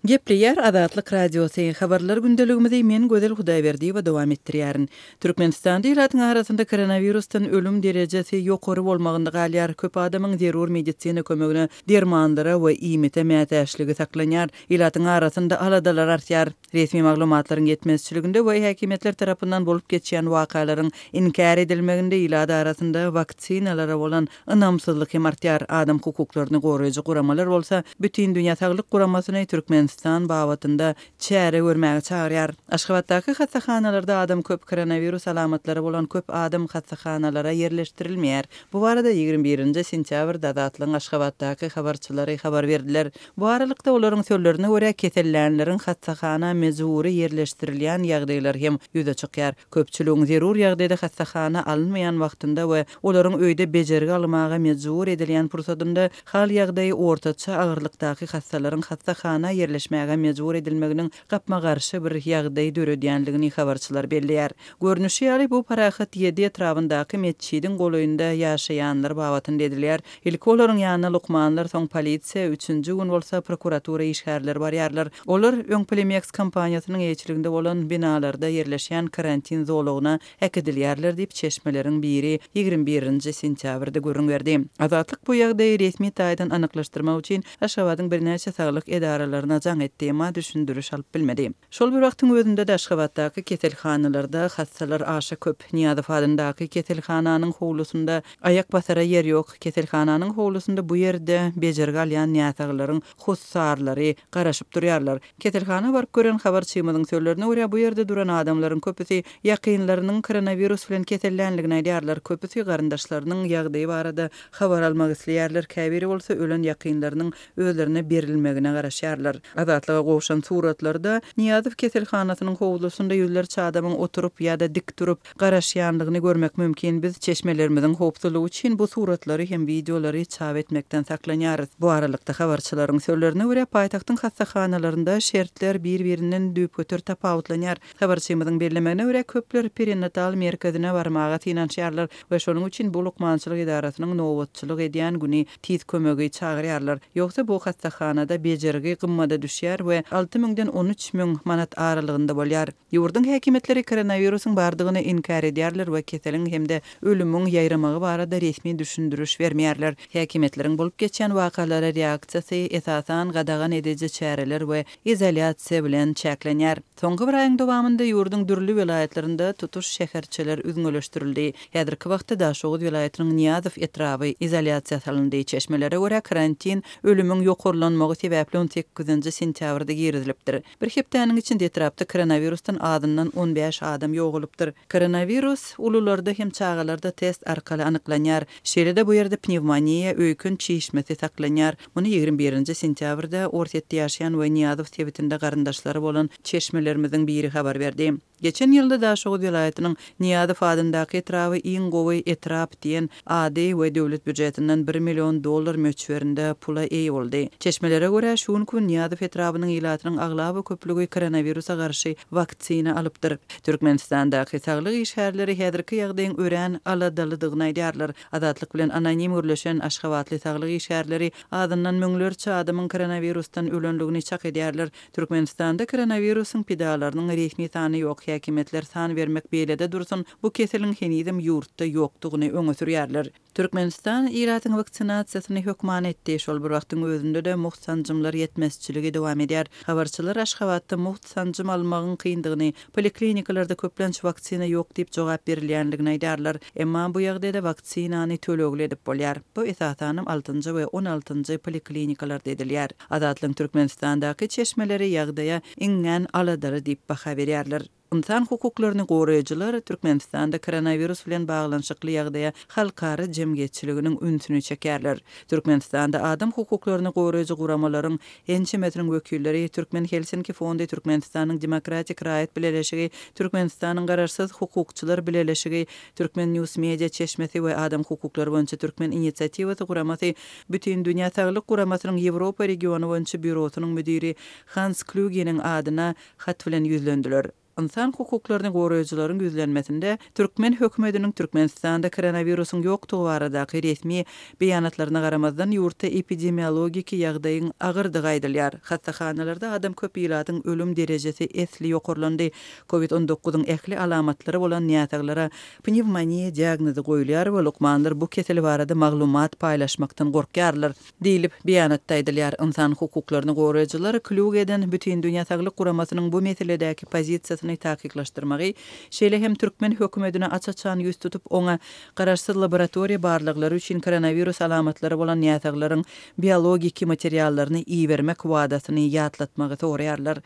Gepleýär Azatlyk Radiosy, Habarlar gündeligimizi men Gözel Hudaýberdiýewa dowam etdirýärin. Türkmenistanda ilatyň arasynda koronawirusdan ölüm derejesi ýokary bolmagynda galýar. Köp adamyň zerur medisina kömegine, dermanlara we iýmite mätäçligi saklanýar. Ilatyň arasynda aladalar artýar. Resmi maglumatlaryň ýetmezçiliginde we häkimiýetler tarapyndan bolup geçýän wakalaryň inkär edilmeginde ilat arasynda waksinalara bolan ynamsyzlyk hem artýar. Adam hukuklaryny goraýjy guramalar bolsa Bütindünýä saglyk guramasyny Türkmenistan babatynda çäre görmäge çagyrýar. Aşgabatdaky hassahanalarda adam köp koronawirus alamatlary bolan köp adam hassahanalara ýerleşdirilmeýär. Bu barada 21 nji sentýabrda Azatlygyň Aşgabatdaky habarçylary habar berdiler. Bu aralykda, olaryň sözlerine görä, kesellänleriň hassahana mejbury ýerleşdirilýän ýagdaýlary hem ýüze çykýar. Köpçüligiň zerur ýagdaýda hassahana alynmaýan wagtynda we olaryň öýde bejergi almaga mejbur edilýän pursadynda hal-ýagdaýy ortaça agyrlykdaky hassalaryň hassahana ýerleşmäge mejbur edilmeginiň gapma-garşy bir ýagdaý döredýänligini habarçylar belleýär. Görnüşi ýaly, bu Parahat ýedi etrabyndaky metjidiň golaýynda ýaşaýanlar babatynda edilýär. Ilki olaryň ýanyna lukmanlar, soň polisiýa, üçünji gün bolsa prokuratura işgärleri barýarlar. Olar öň Polimeks kompaniýasynyň eýeçiliginde bolan binalarda ýerleşýän karantin zolagyna äkidilýärler diýip, çeşmeleriň biri 21 nji sentýabrda gürrüň berdi. Azatlyk bu ýagdaýy resmi taýdan anyklaşdyrmak üçin Aşgabadyň birnäçe saglyk edaralaryna jaň etdi, emma düşündiriş alyp bilmedi. Şol bir wagtyň özünde-de Aşgabatdaky keselhanalarda hassalar aşa köp. Nyýazow adyndaky keselhananyň howlusynda aýak basara ýer ýok. Keselhananyň howlusynda bu ýerde bejergi alýan näsaglaryň hossarlary garaşyp durýarlar. Keselhana baryp gören habarçymyzyň sözlerine görä, bu ýerde duran adamlaryň köpüsi ýakynlarynyň koronawirus bilen kesellänligini aýdýarlar. Köpüsi garyndaşlarynyň ýagdaýy barada habar almak isleýärler, käbiri bolsa ölen ýakynlarynyň özlerine berilmegine garaşýarlar. Azatlyga gowşan suratlarda Nyýazow keselhanasynyň howlusynda ýüzlerçe adamyň oturyp ýa-da dik durup garaşýandygyny görmek mümkin. Biz çeşmelerimiziň howpsuzlygy üçin bu suratlary hem wideolary çap etmekden saklanýarys. Bu aralykda, habarçylaryň sözlerine görä, paýtagtyň hassahanalarynda şertler bir-birinden düýpgöter tapawutlanýar. Habarçymyzyň bellemegine görä, köpler perinatal merkezine barmaga synanyşýarlar we şonuň üçin bu lukmançylyk edarasynyň nobatçylyk edýän güni tiz kömegi çagyrýarlar. Ýogsa bu hassahanada bejergi gymmada düşýär we alty müňden 13 müň manat aralygynda bolýar. Ýurduň häkimiýetleri koronawirusyň bardygyny inkär edýärler we keseliň hem-de ölümiň ýaýramagy barada resmi düşündiriş bermeýärler. Häkimiýetleriň bolup geçýän wakalara reaksiýasy, esasan, gadagan ediji çäreler we izolýasiýa bilen çäklenýär. Soňky bir aýyň dowamynda ýurduň dürli welaýatlarynda tutuş şäherçeler üzňeleşdirildi. Häzirki wagtda Daşoguz welaýatynyň Nyýazow etraby izolýasiýa salyndy. Çeşmelere görä, karantin ölümiň ýokarlanmagy sebäpli on sekizinji sentýabrda girizilipdir. Bir hepdäniň içinde etrapda koronawirusdan azyndan 15 adam ýogalypdyr. Koronawirus ulularda hem çagalarda test arkaly anyklanýar. Şeýle-de bu ýerde pnewmoniýa, öýken çişmesi saklanýar. Muny 21 nji sentýabrda Orsýetde ýaşaýan we Nyýazow sebitinde garyndaşlary bolan çeşmelerimiziň biri habar berdi. Geçen ýylda Daşoguz welaýatynyň Nyýazow adyndaky etraby iň gowy etrap diýen ady we döwlet býujetinden bir million dollar möçberinde pula eýe boldy. Çeşmelere görä, şu günki gün Nyýazow etrabynyň ilatynyň aglaba köplügi koronawirusa garşy waksina alypdyr. Türkmenistandaky saglyk işgärleri häzirki ýagdaýyň örän aladalydygyny aýdýarlar. Azatlyk bilen anonim gürleşen aşgabatly saglyk işgärleri azyndan müňlerçe adamyň koronawirusdan ölendigini çak edýärler. Türkmenistanda koronawirusyň pidalarynyň resmi sany ýok, häkimiýetler san bermek beýlede dursun, bu keseliň henizem ýurtda ýokdugyny öňe sürýärler. Türkmenistan ilatyň waksinasiýasyny hökman etdi, şol bir wagtyň özünde-de mugt sanjymlar ýetmezçiligi dowam edýär. Habarçylar Aşgabatda mugt sanjym almagyň kyndygyny, poliklinikalarda köplenç waksina ýok diýip jogap berilýändigini aýdýarlar. Emma bu ýagdaýda waksinany tölegli edip bolýar. Bu esasanam altynjy we on altynjy poliklinikalarda edilýär. Azatlygyň Türkmenistandaky çeşmeleri ýagdaýa iňňän aladaly diýip baha berýärler. Ynsan hukuklaryny goraýjylar Türkmenistanda koronawirus bilen baglanyşykly ýagdaýa halkara jemgyýetçiliginiň ünsüni çekýärler. Türkmenistanda adam hukuklaryny goraýjy guramalaryň ençemesiniň wekilleri, Türkmen Helsinki fondy, Türkmenistanyň Demokratik raýat bileleşigi, Türkmenistanyň Garaşsyz hukukçylar bileleşigi, Turkmen News media çeşmesi we Adam hukuklary boýunça Türkmen inisiatiwasy guramasy Bütindünýä Saglyk Guramasynyň Ýewropa regiony boýunça býurosynyň müdiri Hans Klýugeniň adyna hat bilen ýüzlendiler. Ynsan hukuklaryny goraýjylaryň ýüzlenmesinde türkmen hökümetiniň Türkmenistanda koronawirusyň ýokdugy baradaky resmi beýanatlaryna garamazdan, ýurtda epidemiologiki ýagdaýyň agyrdygy aýdylýar. Hassahanalarda adam köp ilatyň ölüm derejesi esli ýokarlandy. Covid on dokuzyň ähli alamatlary bolan näsaglara pnewmoniýa diagnozy goýulýar we lukmanlar bu kesel barada maglumat paýlaşmakdan gorkýarlar. Diýlip, beýanatda aýdylýar. Ynsan hukuklaryny goraýjylar Klýugeden Bütindünýä Saglyk Guramasynyň bu meseledäki pozisiýasyny takyklaşdyrmagy, şeýle hem türkmen hökümetine aç-açan ýüz tutup, oňa garaşsyz laboratoriýa barlaglary üçin koronawirus alamatlary bolan näsaglaryň biologiki materiallaryny ibermek wadasyny ýatlatmagy soraýarlar.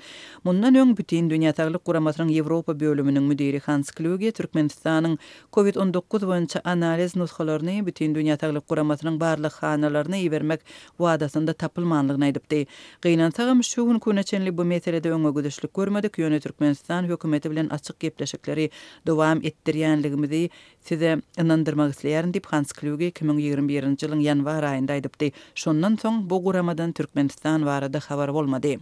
Mundan öň Bütindünýä Saglyk Guramasynyň Ýewropa bölüminiň müdiri Hans Klýuge Türkmenistanyň Covid 19 boýunça analiz nusgalaryny Bütindünýä Saglyk Guramasynyň barlaghanalaryna ibermek wadasynda tapylmanlygyny aýdypdy. Gynansagam, şu günki güne çenli bu meselede öňe gidişlik görmedik, ýöne Türkmenistan hökümeti bilen açyk gepleşikleri dowam etdirýänligimizi size ynandyrmak isleýärin diýip, Hans Klýuge 2021-nji ýylyň ýanwar aýynda aýdypdy. Şondan soň bu guramadan Türkmenistan barada habar bolmady.